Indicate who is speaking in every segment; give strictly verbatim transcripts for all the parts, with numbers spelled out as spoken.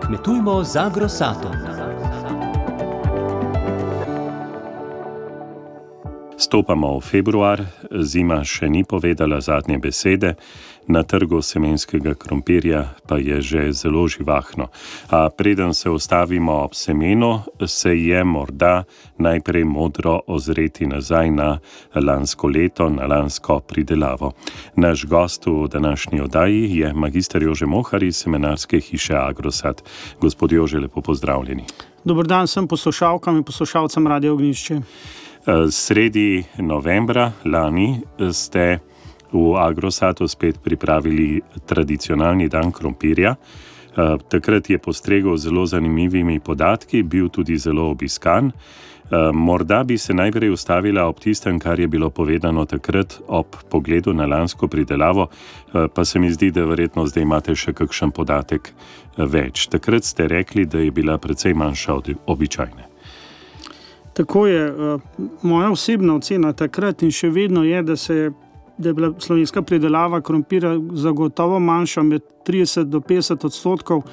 Speaker 1: Kmetujmo z Agrosatom.
Speaker 2: Stopamo v februar, zima še ni povedala zadnje besede, na trgu semenskega krompirja pa je že zelo živahno. A preden se ustavimo ob semenu, se je morda najprej modro ozreti nazaj na lansko leto, na lansko pridelavo. Naš gost v današnji oddaji je magister Jože Mohar iz semenarske hiše Agrosat. Gospod Jože, lepo pozdravljeni.
Speaker 3: Dober dan vsem poslušalkam in poslušalcem Radia Ognjišče.
Speaker 2: Sredi novembra lani ste v Agrosatu spet pripravili tradicionalni dan krompirja. Takrat je postregel zelo zanimivimi podatki, bil tudi zelo obiskan. Morda bi se najprej ustavila ob tistem, kar je bilo povedano takrat ob pogledu na lansko pridelavo, pa se mi zdi, da verjetno zdaj imate še kakšen podatek več. Takrat ste rekli, da je bila precej manjša od običajne.
Speaker 3: Tako je. Moja osebna ocena takrat in še vedno je, da, se, da je bila slovenska pridelava krompirja zagotovo manjša med trideset do petdeset odstotkov,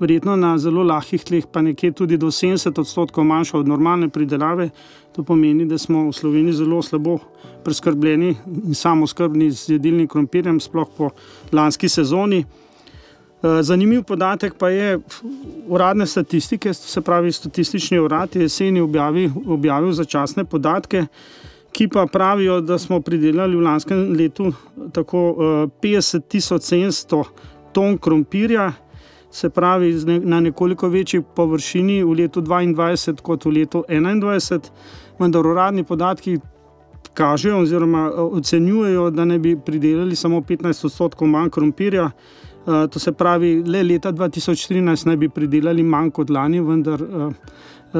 Speaker 3: verjetno na zelo lahkih tleh pa nekje tudi do sedemdeset odstotkov manjša od normalne pridelave. To pomeni, da smo v Sloveniji zelo slabo preskrbljeni in samoskrbni z jedilnim krompirjem, sploh po lanski sezoni. Zanimiv podatek pa je uradne statistike, se pravi statistični urad je jeseni objavil, objavil začasne podatke, ki pa pravijo, da smo pridelali v lanskem letu tako petdeset tisoč sedemsto ton krompirja, se pravi na nekoliko večji površini v letu dvaindvajset kot v letu enaindvajset, vendar uradni podatki kažejo oziroma ocenjujejo, da ne bi pridelali samo petnajst odstotkov manj krompirja. Uh, to se pravi, le leta dva tisoč štirinajst naj bi pridelali manj kot lani, vendar uh,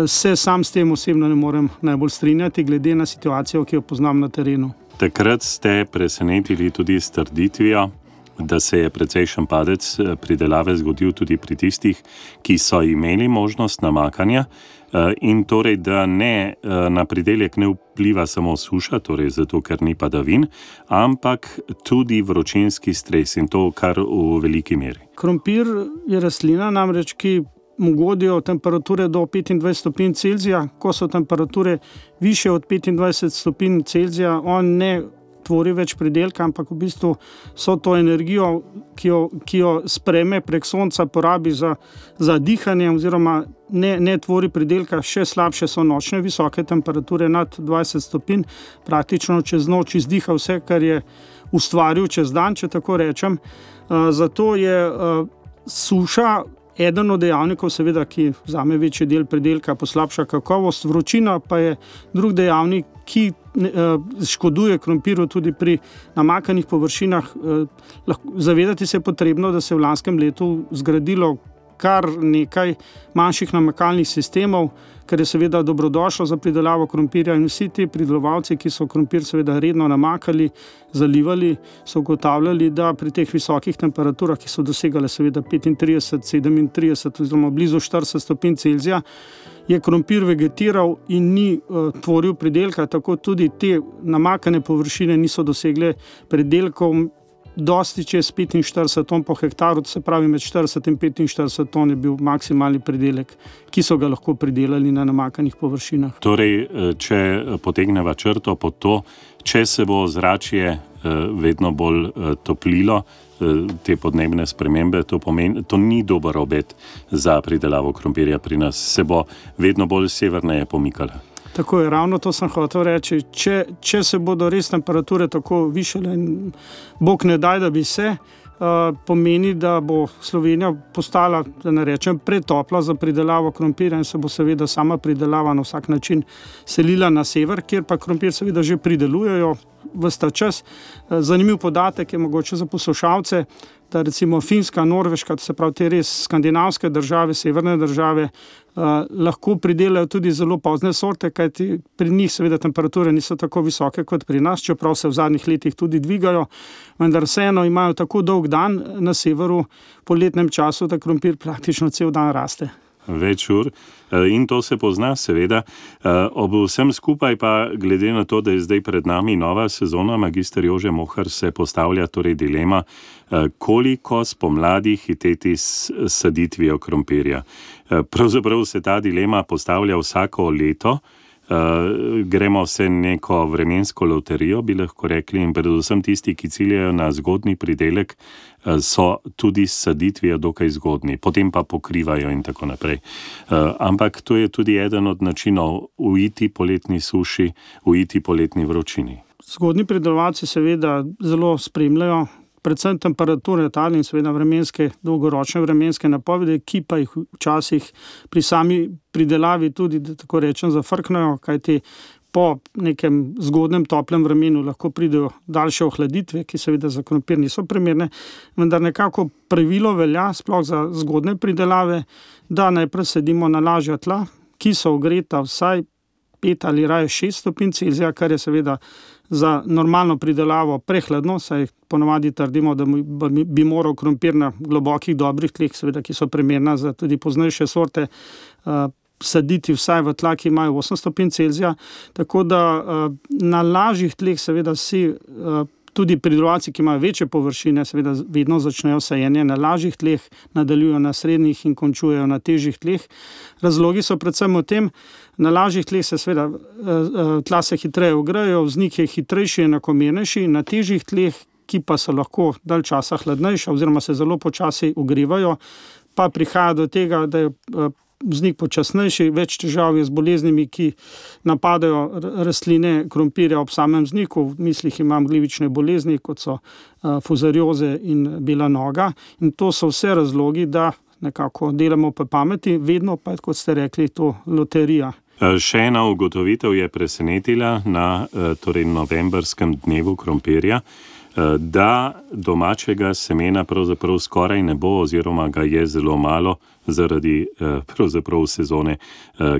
Speaker 3: se sam s tem osebno ne morem najbolj strinjati, glede na situacijo, ki jo poznam na terenu.
Speaker 2: Takrat ste presenetili tudi s trditvijo, da se je precejšen padec pridelave zgodil tudi pri tistih, ki so imeli možnost namakanja, in torej, da ne na pridelek ne vpliva samo suša, torej zato, ker ni padavin, ampak tudi vročinski stres in to kar v veliki meri.
Speaker 3: Krompir je rastlina namreč, ki mu godijo temperature do petindvajset stopinj Celzija. Ko so temperature više od petindvajset stopinj Celzija, on ne tvori več pridelka, ampak v bistvu so to energijo, ki jo, ki jo spreme prek sonca, porabi za, za dihanje oziroma ne, ne tvori pridelka. Še slabše so nočne visoke temperature nad dvajset stopinj, praktično čez noč izdiha vse, kar je ustvaril čez dan, če tako rečem. Uh, zato je uh, suša eden od dejavnikov, seveda, ki vzame večji del pridelka, poslabša kakovost, vročina pa je drug dejavnik, ki škoduje krompirju tudi pri namakanih površinah. Zavedati se je potrebno, da se je v lanskem letu zgradilo kar nekaj manjših namakalnih sistemov, kar je seveda dobrodošlo za pridelavo krompirja, in vsi ti pridelovalci, ki so krompir seveda redno namakali, zalivali, so ugotavljali, da pri teh visokih temperaturah, ki so dosegale seveda petintrideset, sedemintrideset oziroma blizu štirideset stopinj Celzija, je krompir vegetiral in ni uh, tvoril pridelka, tako tudi te namakane površine niso dosegle pridelkov dosti čez petinštirideset ton po hektaru, to se pravi med štirideset in petinštirideset ton je bil maksimalni pridelek, ki so ga lahko pridelali na namakanih površinah.
Speaker 2: Torej, če potegneva črto pod to, če se bo zračje vedno bolj toplilo, te podnebne spremembe, to pomeni, to ni dober obet za pridelavo krompirja pri nas, se bo vedno bolj severneje pomikala.
Speaker 3: Tako je, ravno to sem hotel reči. Če, če se bodo res temperature tako višale, Bog ne daj, da bi se, uh, pomeni, da bo Slovenija postala, da ne rečem, pretopla za pridelavo krompirja in se bo seveda sama pridelava na vsak način selila na sever, kjer pa krompir seveda že pridelujejo ves ta čas. Zanimiv podatek je mogoče za poslušalce, da recimo Finska, Norveška, to se pravi te res skandinavske države, severne države, Uh, lahko pridelajo tudi zelo pozne sorte, kajti pri njih seveda temperature niso tako visoke kot pri nas, čeprav se v zadnjih letih tudi dvigajo, vendar vseeno imajo tako dolg dan na severu po letnem času, da krompir praktično cel dan raste.
Speaker 2: več ur in to se pozna seveda. Ob vsem skupaj pa, glede na to, da je zdaj pred nami nova sezona, magister Jože Mohar, se postavlja torej dilema, koliko spomladi hiteti s saditvijo krompirja. Pravzaprav se ta dilema postavlja vsako leto. Uh, gremo vse neko vremensko loterijo, bi lahko rekli, in predvsem tisti, ki ciljajo na zgodni pridelek, uh, so tudi s saditvijo dokaj zgodni, potem pa pokrivajo in tako naprej. Uh, ampak to je tudi eden od načinov uiti poletni suši, uiti poletni vročini.
Speaker 3: Zgodni pridelovalci seveda zelo spremljajo predvsem temperature tal in seveda vremenske, dolgoročne vremenske napovedi, ki pa jih včasih pri sami pridelavi tudi, da tako rečem, zafrknejo, kajti po nekem zgodnem toplem vremenu lahko pridejo daljše ohladitve, ki seveda za krompir niso primerne, vendar nekako pravilo velja, sploh za zgodne pridelave, da najprej sedimo na lažja tla, ki so ogreta vsaj pet ali raje šest stopinj Celzija, kar je seveda za normalno pridelavo prehladno, saj ponovadi trdimo, da bi moral krompir na globokih dobrih tleh, seveda, ki so primerna za tudi poznejše sorte, uh, saditi vsaj v tla, ki imajo osem stopinj Celzija, tako da uh, na lažjih tleh seveda si uh, tudi pridelovalci, ki imajo večje površine, seveda vedno začnejo sajenje na lažjih tleh, nadaljujejo na srednjih in končujejo na težjih tleh. Razlogi so predvsem v tem, na lažjih tleh se seveda tla se hitreje ogrejejo, vznik je hitrejši in enakomernejši, na težjih tleh, ki pa so lahko dalj časa hladnejša oziroma se zelo počasi ogrevajo, pa prihaja do tega, da je vznik počasnejši, več težav je z boleznimi, ki napadajo rastline krompirja ob samem vzniku. V mislih imam glivične bolezni, kot so uh, fuzarioze in bela noga. In to so vse razlogi, da nekako delamo po pameti, vedno pa, kot ste rekli, to loterija.
Speaker 2: Še ena ugotovitev je presenetila na torej novembrskem dnevu krompirja, da domačega semena pravzaprav skoraj ne bo oziroma ga je zelo malo zaradi pravzaprav sezone,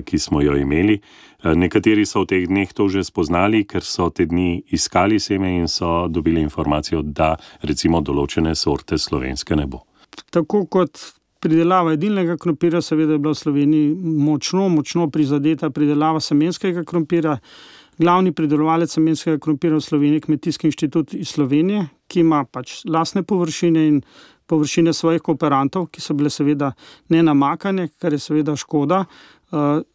Speaker 2: ki smo jo imeli. Nekateri so v teh dneh to že spoznali, ker so te dni iskali seme in so dobili informacijo, da recimo določene sorte slovenske ne bo.
Speaker 3: Tako kot pridelava jedilnega krompirja, seveda je bila v Sloveniji močno, močno prizadeta pridelava semenskega krompirja. Glavni pridelovalec semenskega krompirja v Sloveniji je Kmetijski inštitut iz Slovenije, ki ima pač lastne površine in površine svojih kooperantov, ki so bile seveda nenamakane, kar je seveda škoda.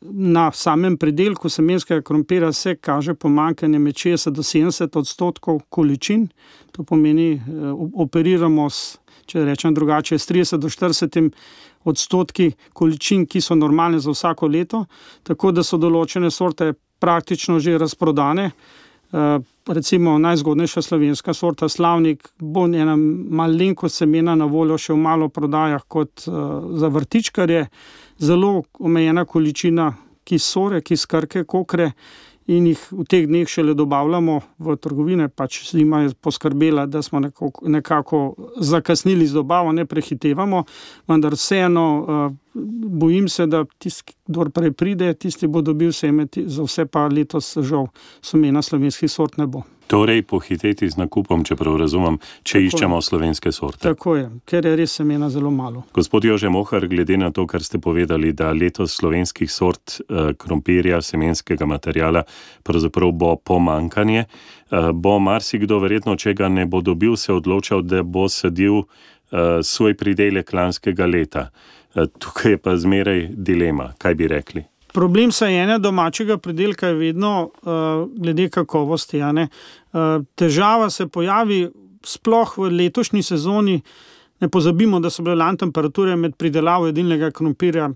Speaker 3: Na samem pridelku semenskega krompirja se kaže pomanjkanje med šestdeset do sedemdeset odstotkov količin. To pomeni, operiramo s, če rečem drugače, s trideset do štirideset odstotki količin, ki so normalne za vsako leto, tako da so določene sorte praktično že razprodane. Uh, recimo najzgodnejša slovenska sorta Slavnik bo ena malenkost semena na voljo še v malo prodajah kot uh, za vrtičkarje, zelo omejena količina kisore, kiskrke, kokre in jih v teh dneh šele dobavljamo v trgovine, pač zima je poskrbela, da smo nekako, nekako zakasnili z dobavo, ne prehitevamo, vendar vseeno uh, bojim se, da tisti, kdor prej pride, tisti bo dobil seme, za vse pa letos žal semena slovenskih sort ne bo.
Speaker 2: Torej pohiteti z nakupom, čeprav razumem, če tako iščemo je. Slovenske sorte.
Speaker 3: Tako je, ker je res semena zelo malo.
Speaker 2: Gospod Jože Mohar, glede na to, kar ste povedali, da letos slovenskih sort eh, krompirja, semenskega materijala pravzaprav bo pomanjkanje, eh, bo marsikdo verjetno, če ga ne bo dobil, se odločal, da bo sadil eh, svoj pridelek lanskega leta. Eh, tukaj je pa zmeraj dilema, kaj bi rekli?
Speaker 3: Problem sajenja domačega pridelka je vedno uh, glede kakovosti. Uh, težava se pojavi sploh v letošnji sezoni. Ne pozabimo, da so bile lani temperature med pridelavo jedilnega krompirja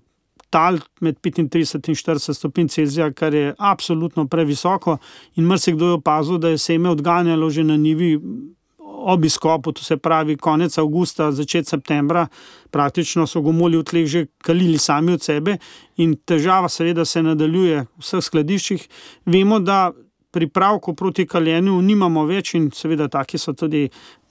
Speaker 3: tal med petintrideset in štirideset stopinj Celzija, kar je absolutno previsoko in marsikdo je opazil, da je seme odganjalo že na njivi ob izkopu, to se pravi konec avgusta, začetek septembra, praktično so gomolji v tleh že kalili sami od sebe in težava seveda se nadaljuje v vseh skladiščih. Vemo, da pripravkov proti kaljenju nimamo več in seveda taki so tudi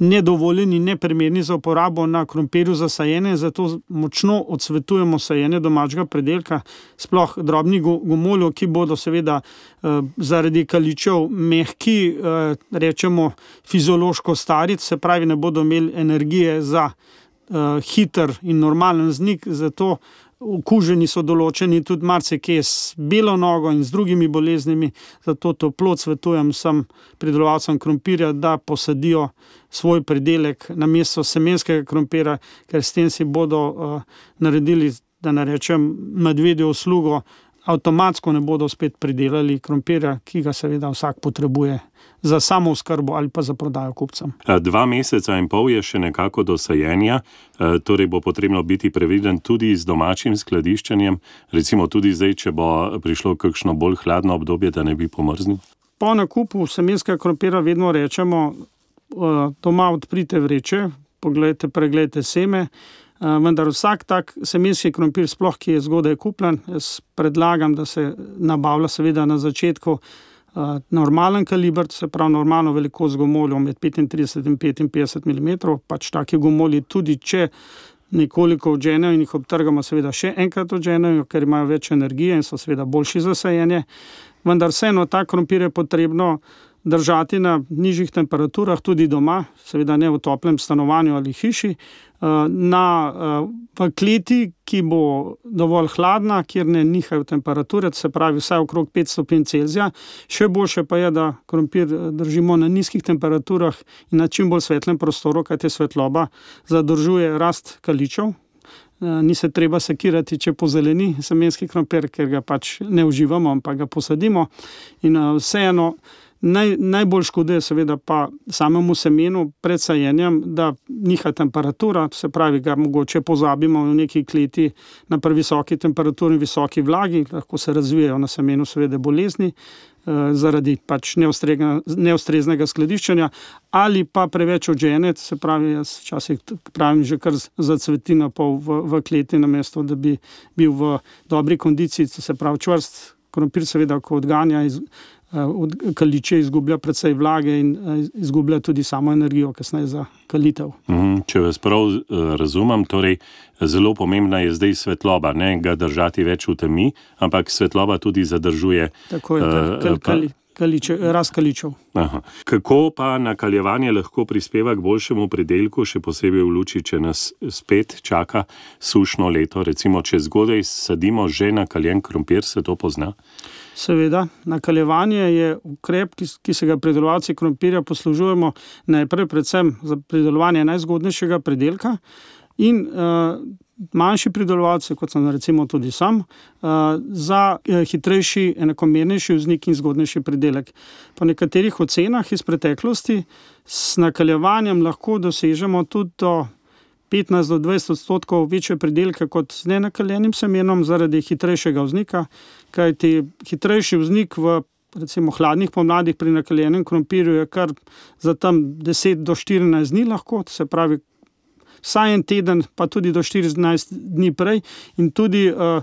Speaker 3: nedovoljeni, neprimerni za uporabo na krompirju za sajenje, zato močno odsvetujemo sajenje domačega pridelka, sploh drobnih gomoljev, ki bodo seveda eh, zaradi kaličev mehki, eh, rečemo fiziološko stari, se pravi ne bodo imeli energije za eh, hiter in normalen vznik, zato okuženi so določeni tudi marsikje s belo nogo in z drugimi boleznimi, zato toplo svetujem vsem pridelovalcem krompirja, da posadijo svoj pridelek namesto semenskega krompira, ker s tem si bodo uh, naredili, da ne rečem, medvedjo uslugo, avtomatsko ne bodo spet pridelali krompirja, ki ga seveda vsak potrebuje za samo oskrbo ali pa za prodajo kupcem.
Speaker 2: Dva meseca in pol je še nekako do sajenja, torej bo potrebno biti previden tudi z domačim skladiščenjem, recimo tudi zdaj, če bo prišlo kakšno bolj hladno obdobje, da ne bi pomrznil?
Speaker 3: Po nakupu semenskega krompirja vedno rečemo, doma odprite vreče, pogledajte, preglejte seme, vendar vsak tak semenski krompir, sploh ki je zgodaj kupljen, jaz predlagam, da se nabavlja seveda na začetku uh, normalen kaliber, se pravi normalno velikost gomoljev med petintrideset in petinpetdeset milimetrov, pač taki gomolji tudi, če nekoliko odženejo in jih obtrgamo, seveda še enkrat odženejo, ker imajo več energije in so seveda boljši za sajenje, vendar vseeno ta krompir je potrebno držati na nižjih temperaturah, tudi doma, seveda ne v toplem stanovanju ali hiši, na, v kleti, ki bo dovolj hladna, kjer ne nihajo temperature, se pravi vsaj okrog pet stopinj Celzija. Še boljše pa je, da krompir držimo na nizkih temperaturah in na čim bolj svetlem prostoru, kajti svetloba zadržuje rast kaličev. Ni se treba sekirati, če pozeleni semenski krompir, ker ga pač ne uživamo, ampak ga posadimo. In vseeno, Naj, najbolj škoduje seveda pa samemu semenu pred sajenjem, da niha temperatura, se pravi, ga mogoče pozabimo v neki kleti na previsoki temperaturi in visoki vlagi, lahko se razvijajo na semenu seveda bolezni eh, zaradi pač neustreznega skladiščenja ali pa preveč odžene, se pravi, jaz včasih pravim že kar zacveti na pol v, v kleti, namesto da bi bil v dobri kondiciji, se pravi čvrst krompir seveda, ko odganja iz od kaliče izgublja precej vlage in izgublja tudi samo energijo kasneje za kalitev.
Speaker 2: Mm, če vas prav razumem, torej zelo pomembna je zdaj svetloba, ne ga držati več v temi, ampak svetloba tudi zadržuje
Speaker 3: Tako je, uh, kal, kal, kaliče, rast kaličev.
Speaker 2: Aha. Kako pa nakaljevanje lahko prispeva k boljšemu pridelku, še posebej v luči, če nas spet čaka sušno leto, recimo, če zgodaj sadimo že nakaljen krompir, se to pozna?
Speaker 3: Seveda, nakaljevanje je ukrep, ki, ki se ga pridelovalci krompirja poslužujemo najprej predvsem za pridelovanje najzgodnejšega pridelka in uh, manjši pridelovalci, kot sem recimo tudi sam, uh, za uh, hitrejši, enakomernejši vznik in zgodnejši pridelek. Po nekaterih ocenah iz preteklosti s nakaljevanjem lahko dosežemo tudi do petnajst do dvajset odstotkov večje pridelke kot z nenakaljenim semenom zaradi hitrejšega vznika, kajti hitrejši vznik v recimo hladnih pomladih pri nakaljenem krompirju je kar za tam deset do štirinajst dni lahko, se pravi vsaj en teden, pa tudi do štirinajst dni prej in tudi uh,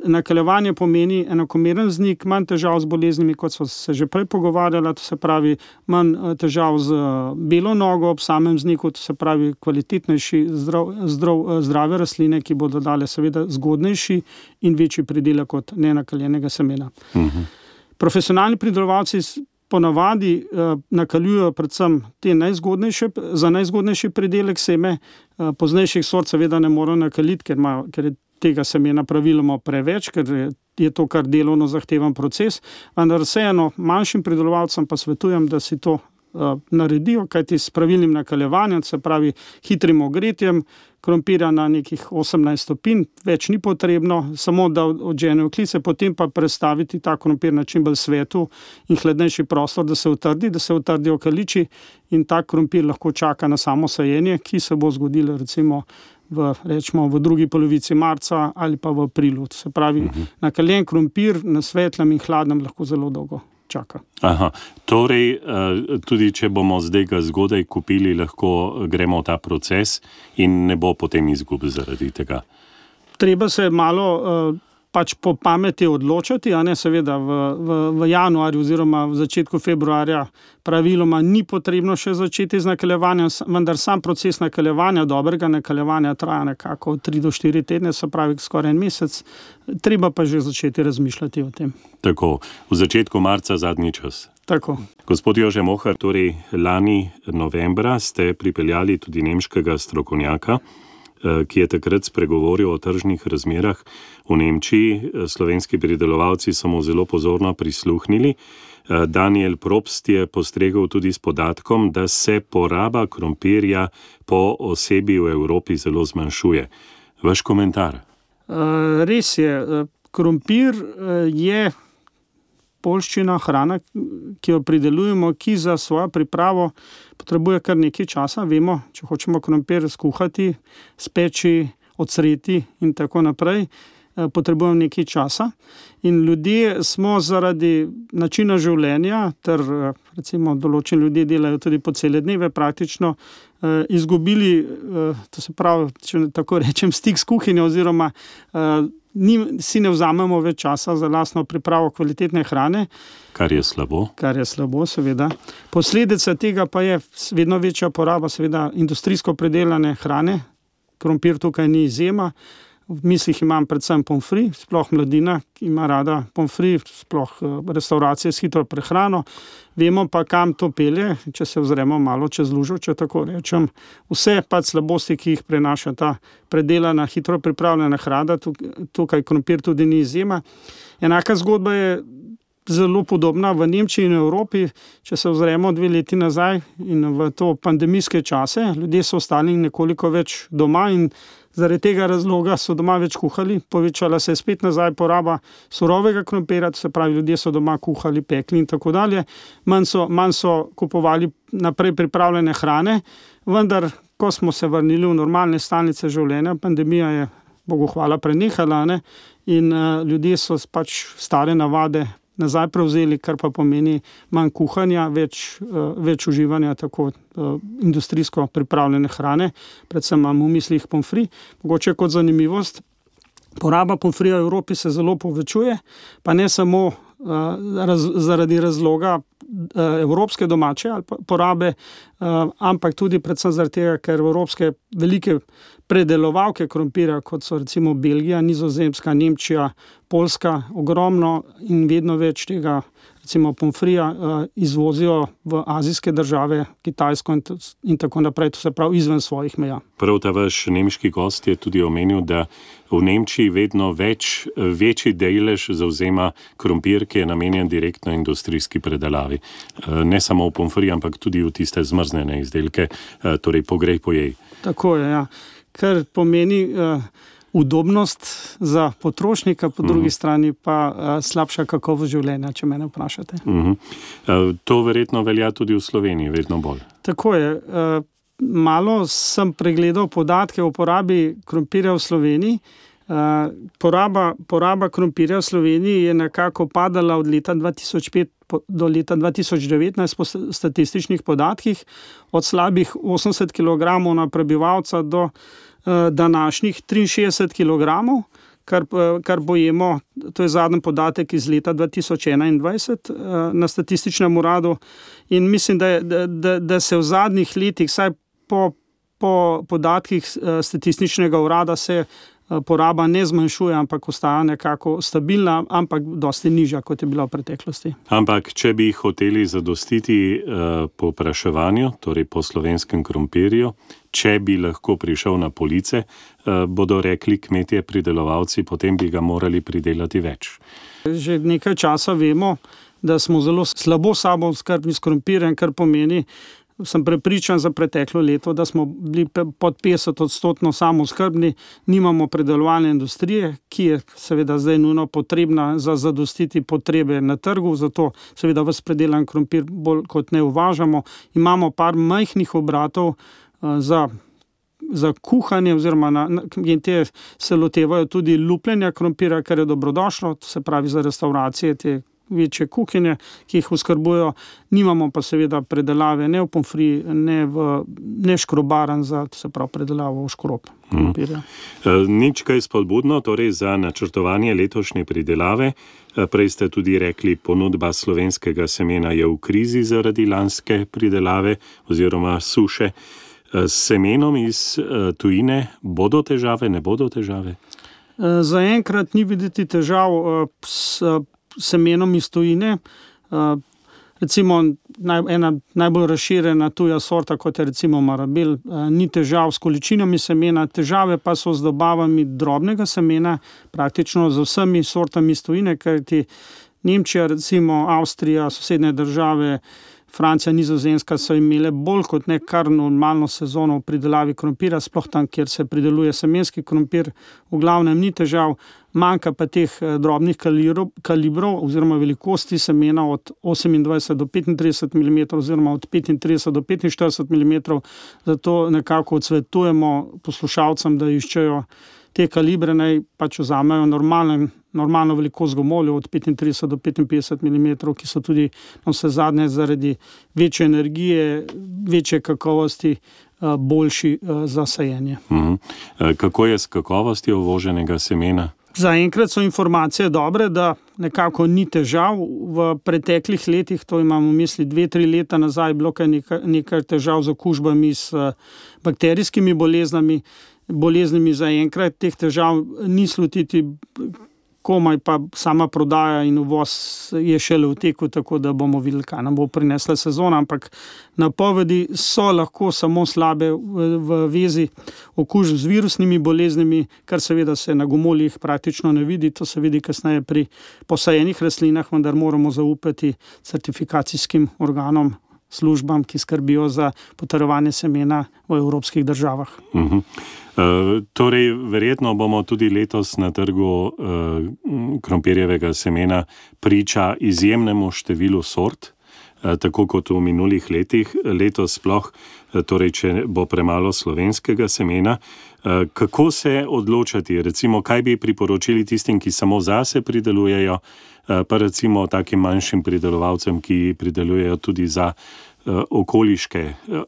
Speaker 3: nakaljevanje pomeni enakomeren vznik, manj težav z boleznimi, kot so se že prej pogovarjali, to se pravi manj težav z belo nogo ob samem vzniku, to se pravi kvalitetnejši zdrav, zdrav, zdrave rastline, ki bodo dale seveda zgodnejši in večji pridelek kot nenakaljenega semena. Uh-huh. Profesionalni pridelovalci ponavadi eh, nakaljujejo predvsem te najzgodnejše, za najzgodnejši pridelek seme, eh, poznejših sort seveda ne morejo nakaliti, ker, ima, ker je tega semena praviloma preveč, ker je to kar delovno zahteven proces, vendar vseeno manjšim pridelovalcem pa svetujem, da si to uh, naredijo, kajti s pravilnim nakaljevanjem, se pravi hitrim ogretjem krompirja na nekih osemnajst stopinj, več ni potrebno, samo da odženejo klice, potem pa prestaviti ta krompir na čim bolj svetu in hladnejši prostor, da se utrdi, da se utrdijo kaliči in ta krompir lahko čaka na samo sajenje, ki se bo zgodilo recimo v, rečemo, v drugi polovici marca ali pa v aprilu. Se pravi, uh-huh. nakaljen krompir na svetlem in hladnem lahko zelo dolgo čaka.
Speaker 2: Aha, torej tudi če bomo zdaj ga zgodaj kupili, lahko gremo v ta proces in ne bo potem izgub zaradi tega.
Speaker 3: Treba se malo uh, pač po pameti odločati, a ne seveda v, v, v januarju oziroma v začetku februarja praviloma ni potrebno še začeti z nakaljevanjem, vendar sam proces nakaljevanja, dobrega nakaljevanja traja nekako od tri do štiri tedne, se pravi skoraj en mesec, treba pa že začeti razmišljati o tem.
Speaker 2: Tako, v začetku marca zadnji čas.
Speaker 3: Tako.
Speaker 2: Gospod Jože Mohar, torej lani novembra ste pripeljali tudi nemškega strokovnjaka ki je takrat spregovoril o tržnih razmerah v Nemčiji. Slovenski pridelovalci so mu zelo pozorno prisluhnili. Daniel Probst je postregel tudi s podatkom, da se poraba krompirja po osebi v Evropi zelo zmanjšuje. Vaš komentar?
Speaker 3: Res je. Krompir je poljščina, hrana, ki jo pridelujemo, ki za svojo pripravo potrebuje kar nekaj časa. Vemo, če hočemo krompir skuhati, speči, odsreti in tako naprej, potrebujemo nekaj časa. In ljudje smo zaradi načina življenja, ter recimo določeni ljudje delajo tudi po cele dneve praktično, izgubili, to se pravi, če tako rečem, stik s kuhinjo oziroma ni, si ne vzamemo več časa za lastno pripravo kvalitetne hrane.
Speaker 2: Kar je slabo.
Speaker 3: Kar je slabo, seveda. Posledica tega pa je vedno večja poraba seveda industrijsko predelane hrane. Krompir tukaj ni izjema. V mislih imam predvsem pomfrit, sploh mladina, ki ima rada pomfrit, sploh restauracije s hitro prehrano. Vemo pa, kam to pelje, če se vzremo malo čez lužo, če tako rečem. Vse pač slabosti, ki jih prenaša ta predelana, hitro pripravljena hrana, tukaj krompir tudi ni izjema. Enaka zgodba je zelo podobna v Nemčiji in Evropi, če se vzremo dve leti nazaj in v to pandemijske čase. Ljudje so ostali nekoliko več doma in zaradi tega razloga so doma več kuhali, povečala se je spet nazaj poraba surovega krompirja, to se pravi, ljudje so doma kuhali, pekli in tako dalje. Manj so, manj so kupovali naprej pripravljene hrane, vendar, ko smo se vrnili v normalne stalnice življenja, pandemija je, Bogu hvala, prenehala, ne? In uh, ljudje so pač stare navade nazaj prevzeli, kar pa pomeni manj kuhanja, več, uh, več uživanja tako uh, industrijsko pripravljene hrane, predvsem imam v mislih pomfrit. Mogoče kot zanimivost, poraba pomfrija v Evropi se zelo povečuje, pa ne samo uh, raz, zaradi razloga uh, evropske domače ali porabe, uh, ampak tudi predvsem zaradi tega, ker evropske velike predelovalke krompirja, kot so recimo Belgija, Nizozemska, Nemčija, Poljska, ogromno in vedno več tega recimo pomfrija uh, izvozijo v azijske države, Kitajsko in, in tako naprej, to se pravi izven svojih meja.
Speaker 2: Prav ta vaš nemški gost je tudi omenil, da v Nemčiji vedno več, večji delež zavzema krompir, ki je namenjen direktno industrijski predelavi. Ne samo v pomfrij, ampak tudi v tiste zmrznjene izdelke, torej pogrej pojej. Tako
Speaker 3: je, ja. Kar pomeni uh, udobnost za potrošnika, po drugi uh-huh. strani pa uh, slabša kakovost življenja, če mene vprašate.
Speaker 2: Uh-huh. Uh, to verjetno velja tudi v Sloveniji, vedno bolj.
Speaker 3: Tako je. Uh, malo sem pregledal podatke o porabi krompirja v Sloveniji. Uh, poraba, poraba krompirja v Sloveniji je nekako padala od leta dva tisoč pet do leta dva tisoč devetnajst po statističnih podatkih, od slabih osemdeset kilogramov na prebivalca do uh, današnjih triinšestdeset kilogramov, kar, kar bojemo, to je zadnji podatek iz leta dva tisoč enaindvajset uh, na statističnem uradu in mislim, da, je, da, da, da se v zadnjih letih, saj po, po podatkih uh, statističnega urada se poraba ne zmanjšuje, ampak ostaja nekako stabilna, ampak dosti nižja, kot je bila v preteklosti.
Speaker 2: Ampak, če bi hoteli zadostiti uh, po vpraševanju, torej po slovenskem krompirju, če bi lahko prišel na police, uh, bodo rekli kmetje pridelovalci, potem bi ga morali pridelati več.
Speaker 3: Že nekaj časa vemo, da smo zelo slabo sabo skrbni s krompirjem, kar pomeni, sem prepričan za preteklo leto, da smo bili pod petdeset odstotno samooskrbni, nimamo predelovalne industrije, ki je seveda zdaj nujno potrebna za zadostiti potrebe na trgu, zato seveda ves predelan krompir bolj kot ne uvažamo. Imamo par majhnih obratov uh, za, za kuhanje, oziroma na, na, te se lotevajo tudi lupljenja krompira, kar je dobrodošlo, to se pravi za restauracije, te večje kuhinje, ki jih oskrbujejo, nimamo pa seveda predelave ne v pomfrit, ne v ne škrobaran za, se pravi, predelavo v škrob krompirja.
Speaker 2: Hmm. Nič kaj spodbudno, torej za načrtovanje letošnje pridelave. Prej ste tudi rekli, ponudba slovenskega semena je v krizi zaradi lanske pridelave oziroma suše. S semenom iz tujine bodo težave, ne bodo težave?
Speaker 3: Zaenkrat ni videti težav s semenom iz tujine. Recimo naj, ena najbolj razširjena tuja sorta, kot je recimo Marabel. Ni težav s količinami semena, težave pa so z dobavami drobnega semena, praktično z vsemi sortami iz tujine, kajti Nemčija, recimo Avstrija, sosednje države, Francija, Nizozemska so imele bolj kot ne kar normalno sezono v pridelavi krompira, sploh tam, kjer se prideluje semenski krompir, v glavnem ni težav, manjka pa teh drobnih kalibrov, kalibrov oziroma velikosti semena od osemindvajset do petintrideset milimetrov oziroma od petintrideset do petinštirideset milimetrov, zato nekako odsvetujemo poslušalcem, da iščejo te kalibre, naj pač vzamejo normalen, normalno velikost gomoljev od petintrideset do petinpetdeset milimetrov, ki so tudi na vse zadnje zaradi večje energije, večje kakovosti boljši za sajenje.
Speaker 2: Mhm. Kako je s kakovostjo uvoženega semena?
Speaker 3: Zaenkrat so informacije dobre, da nekako ni težav. V preteklih letih, to imamo v misli dve, tri leta nazaj, bilo nekaj, nekaj težav z okužbami s bakterijskimi boleznami, boleznimi zaenkrat teh težav ni slutiti, komaj pa sama prodaja in uvoz je šele v teku, tako da bomo videli, kaj nam bo prinesla sezona, ampak napovedi so lahko samo slabe v, v vezi okužb z virusnimi boleznimi, kar seveda se na gomoljih praktično ne vidi, to se vidi kasneje pri posajenih rastlinah, vendar moramo zaupati certifikacijskim organom, službam, ki skrbijo za potrjevanje semena v evropskih državah.
Speaker 2: Uh-huh. Uh, torej, verjetno bomo tudi letos na trgu uh, krompirjevega semena priča izjemnemu številu sort, uh, tako kot v minulih letih. Letos sploh, uh, torej, če bo premalo slovenskega semena. Uh, kako se odločati? Recimo, kaj bi priporočili tistim, ki samo zase pridelujejo, uh, pa recimo takim manjšim pridelovalcem, ki pridelujejo tudi za okoliške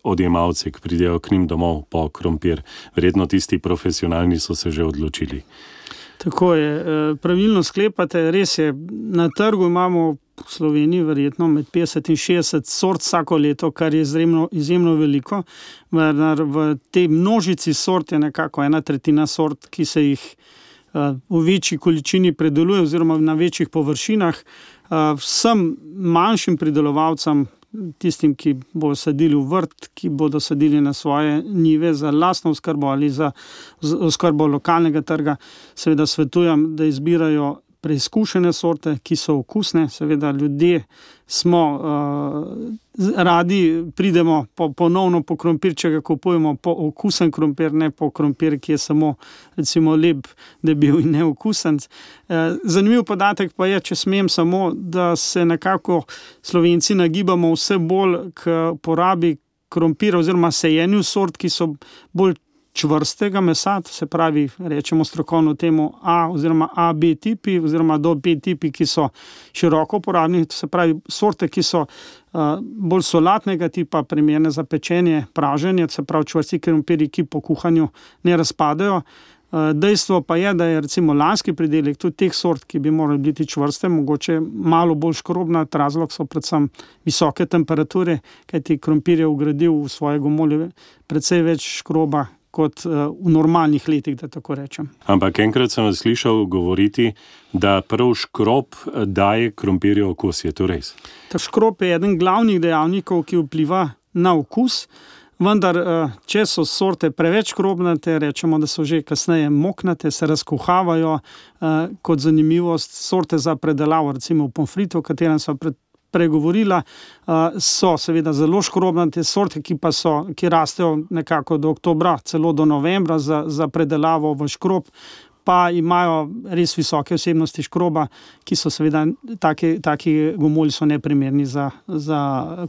Speaker 2: odjemalce, ki pridejo k njim domov po krompir. Verjetno tisti profesionalni so se že odločili.
Speaker 3: Tako je, pravilno sklepate, res je, na trgu imamo v Sloveniji verjetno med petdeset in šestdeset sort vsako leto, kar je izjemno, izjemno veliko. V tej množici sort je nekako ena tretjina sort, ki se jih v večji količini predeluje oziroma na večjih površinah. Vsem manjšim pridelovalcem, tistim, ki bodo sadili v vrt, ki bodo sadili na svoje njive za lastno oskrbo ali za oskrbo lokalnega trga, seveda svetujem, da izbirajo preizkušene sorte, ki so okusne. Seveda ljudje smo uh, radi, pridemo po, ponovno po krompir, če ga kupujemo po okusen krompir, ne po krompir, ki je samo recimo lep, debel in neokusen. Uh, zanimiv podatek pa je, če smem samo, da se nekako Slovenci nagibamo vse bolj k porabi krompira oziroma sejenju sort, ki so bolj čvrstega mesa, to se pravi, rečemo strokovno temu A oziroma A B tipi oziroma do B tipi, ki so široko uporabni, to se pravi sorte, ki so uh, bolj solatnega tipa, primerne za pečenje, praženje, to se pravi čvrsti krompirji, ki po kuhanju ne razpadajo. Uh, dejstvo pa je, da je recimo lanski pridelek tudi teh sort, ki bi morali biti čvrste, mogoče malo bolj škrobna, razlog so predvsem visoke temperature, kajti krompir je vgradil v svoje gomolje precej več škroba kot v normalnih letih, da tako rečem.
Speaker 2: Ampak enkrat sem vas slišal govoriti, da prav škrob daje krompirju okus, je to res?
Speaker 3: Ta škrob je eden glavnih dejavnikov, ki vpliva na okus, vendar če so sorte preveč škrobnate, rečemo, da so že kasneje moknate, se razkuhavajo, kot zanimivost sorte za predelavo, recimo v pomfritu, o katerem so pred pregovorila, so seveda zelo škrobnate sorte, ki pa so, ki rastejo nekako do oktobra, celo do novembra za, za predelavo v škrob, pa imajo res visoke vsebnosti škroba, ki so seveda, taki, taki gomolji so neprimerni za, za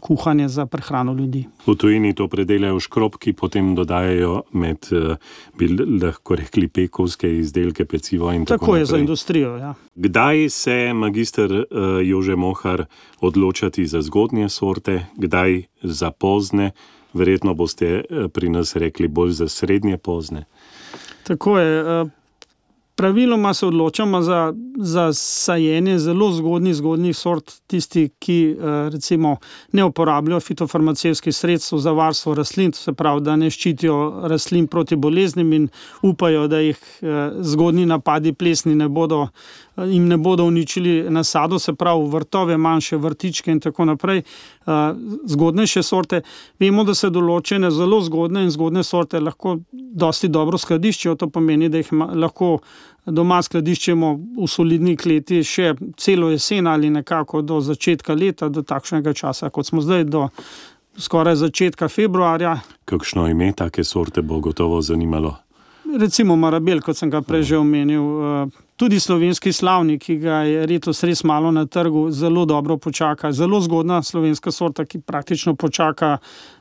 Speaker 3: kuhanje, za prehrano ljudi.
Speaker 2: V tujini to predelajo škrob, ki potem dodajajo med, bi lahko rekli, pekovske izdelke, pecivo in tako, tako naprej.
Speaker 3: Tako je za industrijo, ja.
Speaker 2: Kdaj se magister uh, Jože Mohar odločati za zgodnje sorte, kdaj za pozne? Verjetno boste pri nas rekli bolj za srednje pozne.
Speaker 3: Tako je. Uh, Praviloma se odločamo za, za sajenje zelo zgodnjih, zgodnjih sort, tisti, ki recimo ne uporabljajo fitofarmacevtskih sredstev za varstvo rastlin, to se pravi, da ne ščitijo rastlin proti boleznim in upajo, da jih zgodnji napadi plesni ne bodo, jim ne bodo uničili nasado, se pravi vrtove, manjše vrtičke in tako naprej. Zgodnejše sorte, vemo, da se določene zelo zgodne in zgodne sorte lahko dosti dobro skladiščijo, to pomeni, da jih lahko doma skladiščimo v solidni kleti še celo jesen ali nekako do začetka leta, do takšnega časa, kot smo zdaj, do skoraj začetka februarja.
Speaker 2: Kakšno ime take sorte bo gotovo zanimalo?
Speaker 3: Recimo Marabel, kot sem ga prej že omenil, tudi slovenski slavnik, ki ga je letos res malo na trgu, zelo dobro počaka, zelo zgodna slovenska sorta, ki praktično počaka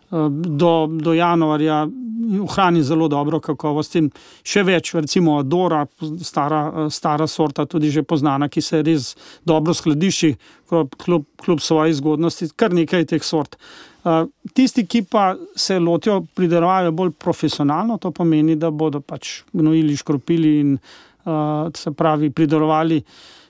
Speaker 3: do, do januarja, ohrani zelo dobro kakovost in še več, recimo Adora, stara, stara sorta, tudi že poznana, ki se res dobro skladišči, kljub, kljub svoji zgodnosti, kar nekaj teh sort. Tisti, ki pa se lotijo pridelovalno bolj profesionalno, to pomeni, da bodo pač gnojili, škropili in se pravi pridelovali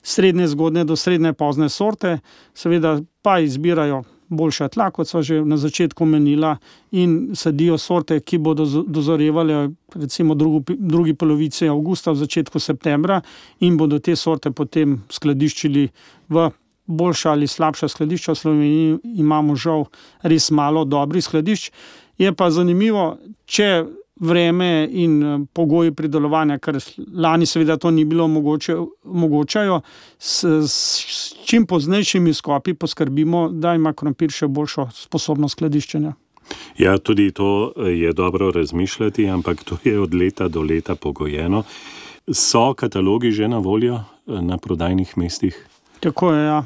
Speaker 3: srednje zgodne do srednje pozne sorte, seveda pa izbirajo boljša tla, kot so že na začetku menila, in sadijo sorte, ki bodo dozorevale recimo drugi, drugi polovici avgusta, v začetku septembra, in bodo te sorte potem skladiščili v boljša ali slabša skladišča. V Sloveniji imamo žal res malo dobrih skladišč. Je pa zanimivo, če vreme in pogoji pridelovanja, ker lani seveda to ni bilo mogoče, omogočajo, s, s čim poznejšimi skopi poskrbimo, da ima krompir še boljšo sposobnost skladiščenja.
Speaker 2: Ja, tudi to je dobro razmišljati, ampak to je od leta do leta pogojeno. So katalogi že na voljo na prodajnih mestih?
Speaker 3: Tako je, ja.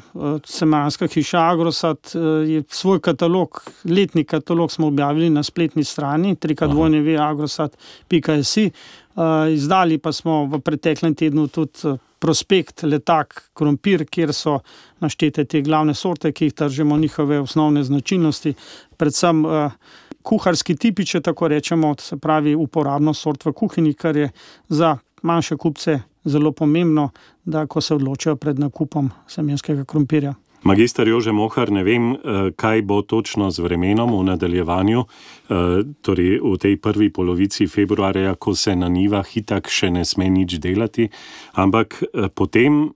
Speaker 3: Semejanska hiša Agrosat je svoj katalog, letni katalog smo objavili na spletni strani w w w pika agrosat pika s i. Izdali pa smo v preteklem tednu tudi prospekt letak krompir, kjer so naštete te glavne sorte, ki jih tržimo, njihove osnovne značilnosti, predvsem kuharski tipi, če tako rečemo, se pravi uporabno sort v kuhinji, kar je za manjše kupce zelo pomembno, da ko se odločajo pred nakupom semenskega krompirja.
Speaker 2: Magister Jože Mohar, ne vem, kaj bo točno z vremenom v nadaljevanju, torej v tej prvi polovici februarja, ko se na njivah itak še ne sme nič delati, ampak potem,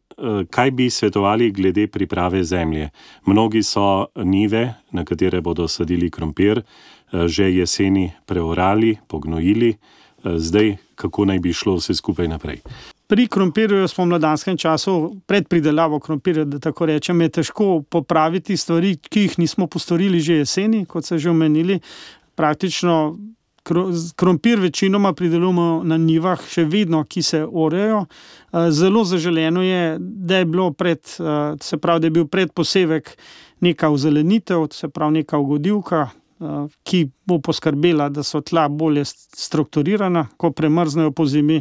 Speaker 2: kaj bi svetovali glede priprave zemlje? Mnogi so njive, na katere bodo sadili krompir, že jeseni preorali, pognojili, zdaj kako naj bi šlo vse skupaj naprej?
Speaker 3: Pri krompirju v spomladanskem času, pred pridelavo krompirja, da tako rečem, je težko popraviti stvari, ki jih nismo postorili že jeseni, kot se že omenili. Praktično krompir večinoma pridelujemo na njivah še vedno, ki se orejo. Zelo zaželeno je, da je bilo pred, se pravi, da je bil predposevek neka ozelenitev, se pravi neka ugodivka, ki bo poskrbela, da so tla bolje strukturirana, ko premrznejo po zimi,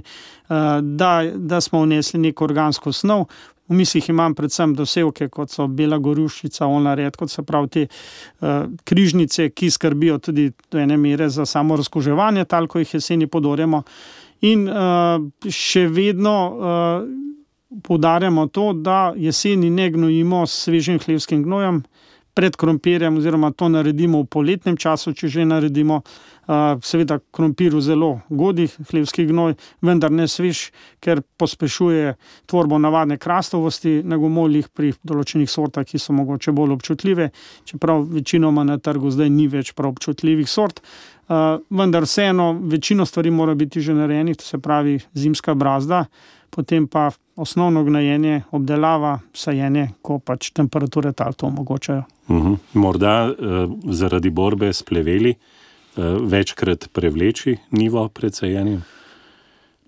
Speaker 3: da, da smo vnesli neko organsko snov. V mislih imam predvsem dosevke, kot so bela goruščica, oljna redkev, se pravi te uh, križnice, ki skrbijo tudi do ene mere za samo razkuževanje tal, ko jih jeseni podorjamo. In uh, še vedno uh, poudarjamo to, da jeseni ne gnojimo s svežim hlevskim gnojem pred krompirjem, oziroma to naredimo v poletnem času, če že naredimo. Uh, seveda krompiru zelo godi hlevski gnoj, vendar ne svež, ker pospešuje tvorbo navadne krastovosti na gomoljih pri določenih sortah, ki so mogoče bolj občutljive, čeprav večinoma na trgu zdaj ni več prav občutljivih sort. Uh, vendar vseeno večino stvari mora biti že narejenih, to se pravi zimska brazda, potem pa osnovno gnojenje, obdelava, sajenje, ko pač temperature tal to omogočajo.
Speaker 2: Uh-huh. Morda uh, zaradi borbe s pleveli uh, večkrat prevleči nivo pred sajenjem?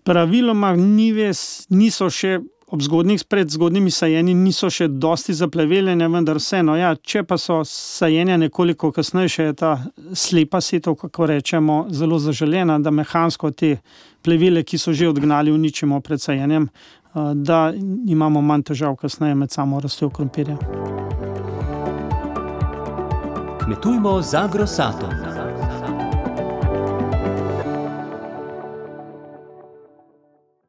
Speaker 3: Praviloma njive niso še ob zgodnih, pred zgodnimi sajenji niso še dosti zapleveljene, vendar vseeno, ja, če pa so sajenja nekoliko kasnejše, je ta slepa setev, kako rečemo, zelo zaželena, da mehansko te plevele, ki so že odgnali, uničimo pred sajenjem, da imamo manj težav kasneje med samo rastjo krompirja.
Speaker 1: Kmetujmo z Agrosatom.